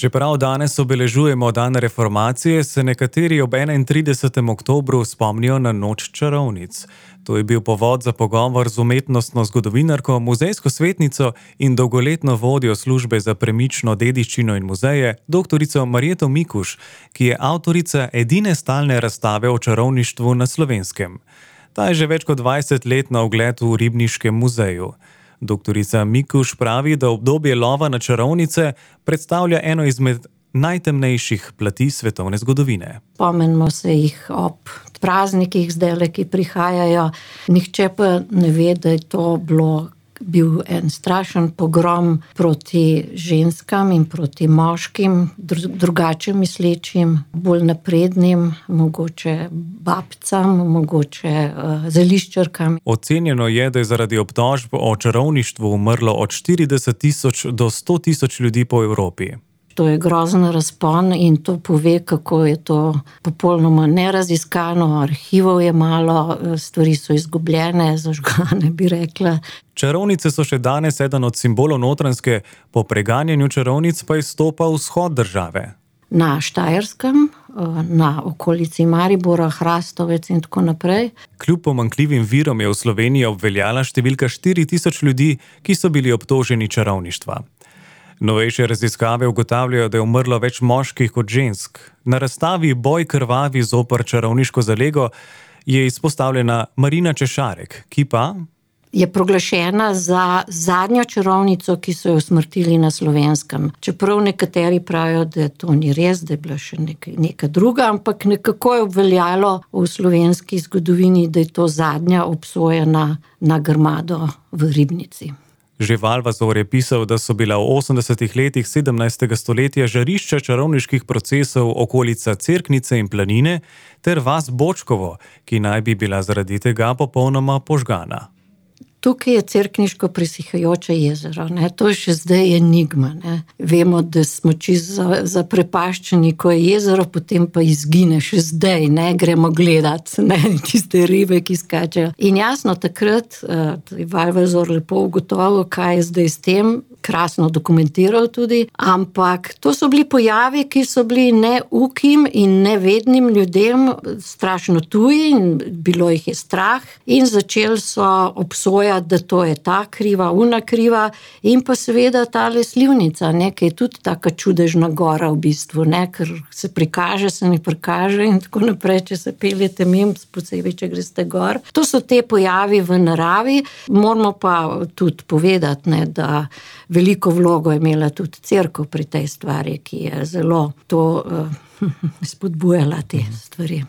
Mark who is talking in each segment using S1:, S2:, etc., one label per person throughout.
S1: Čeprav danes obeležujemo dan reformacije, se nekateri ob 31. oktobru spomnijo na noč čarovnic. To je bil povod za pogovor z umetnostno zgodovinarko, muzejsko svetnico in dolgoletno vodjo službe za premično dediščino in muzeje, doktorico Marjeto Mikuš, ki je avtorica edine stalne razstave o čarovništvu na Slovenskem. Ta je že več kot 20 let na ogled v Ribniškem muzeju. Doktorica Mikuš pravi, da obdobje lova na čarovnice predstavlja eno izmed najtemnejših plati svetovne zgodovine.
S2: Spomnimo se jih ob praznikih zdajle, ki prihajajo. Nihče pa ne ve, da je to bil en strašen pogrom proti ženskam in proti moškim, drugače mislečim, bolj naprednim, mogoče babcam, mogoče zeliščarkam.
S1: Ocenjeno je, da je zaradi obtožb o čarovništvu umrlo od 40.000 do 100.000 ljudi po Evropi.
S2: To je grozen razpon in to pove, kako je to popolnoma neraziskano, arhivov je malo, stvari so izgubljene, zažgane, bi rekla.
S1: Čarovnice so še danes eden od simbolov Notranjske, po preganjanju čarovnic pa izstopa vzhod države.
S2: Na Štajerskem, na okolici Maribora, Hrastovec in tako naprej.
S1: Kljub pomanjkljivim virom je v Sloveniji obveljala številka 4.000 ljudi, ki so bili obtoženi čarovništva. Novejše raziskave ugotavljajo, da je umrlo več moških kot žensk. Na razstavi Boj krvavi zoper čarovniško zalego je izpostavljena Marina Češarek, ki pa
S2: je proglašena za zadnjo čarovnico, ki so jo usmrtili na Slovenskem. Čeprav nekateri pravijo, da to ni res, da je bila še neka druga, ampak nekako je obveljalo v slovenski zgodovini, da je to zadnja obsojena na grmado v Ribnici.
S1: Že Valvazor je pisal, da so bila v 80. letih 17. stoletja žarišča čarovniških procesov okolica Cerknice in Planine ter vas Bočkovo, ki naj bi bila zaradi tega popolnoma požgana.
S2: Tukaj je Cerkniško presihajoče jezero, ne? To je še zdaj enigma. Ne? Vemo, da smo čisto zaprepaščeni, ko je jezero, potem pa izgine še zdaj, ne? Gremo gledati, ne? Tiste ribe, ki skačejo. In jasno, takrat je Valvazor lepo ugotovil, kaj je zdaj s tem, krasno dokumentiral tudi, ampak to so bili pojavi, ki so bili neukim in nevednim ljudem strašno tuji in bilo jih je strah in začeli so obsojati, da to je ta kriva, una kriva in pa seveda tale Slivnica, ne, ki je tudi taka čudežna gora v bistvu, ne, ker se prikaže, se ne prikaže in tako naprej, če se peljete mimo, posebej, če greste gor. To so te pojavi v naravi, moramo pa tudi povedati, ne, da veliko vlogo je imela tudi cerkev pri tej stvari, ki je zelo to spodbujala te stvari.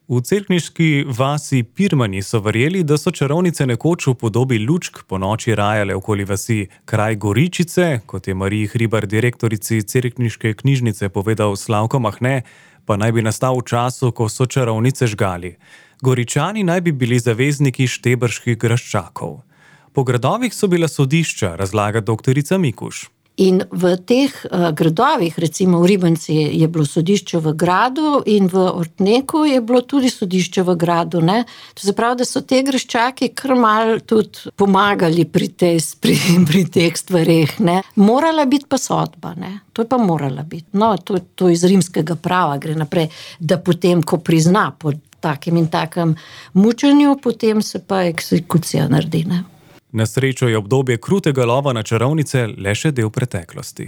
S1: V cerkniški vasi Pirmani so verjeli, da so čarovnice nekoč v podobi lučk po noči rajale okoli vasi kraj Goričice, kot je Mariji Hribar, direktorici cerkniške knjižnice, povedal Slavko Mahne, pa naj bi nastal v času, ko so čarovnice žgali. Goričani naj bi bili zavezniki štebrških graščakov. Po gradovih so bila sodišča, razlaga doktorica Mikuš.
S2: In v teh gradovih, recimo v Ribnici je bilo sodišče v gradu in v Ortneku je bilo tudi sodišče v gradu, ne. To se pravi, da so te graščaki kar malo tudi pomagali pri teh stvareh, ne. Morala biti pa sodba, ne. To je pa morala biti. No, to iz rimskega prava gre naprej, da potem, ko prizna po takem in takem mučenju, potem se pa eksekucija naredi, ne.
S1: Na srečo je obdobje krutega lova na čarovnice le še del preteklosti.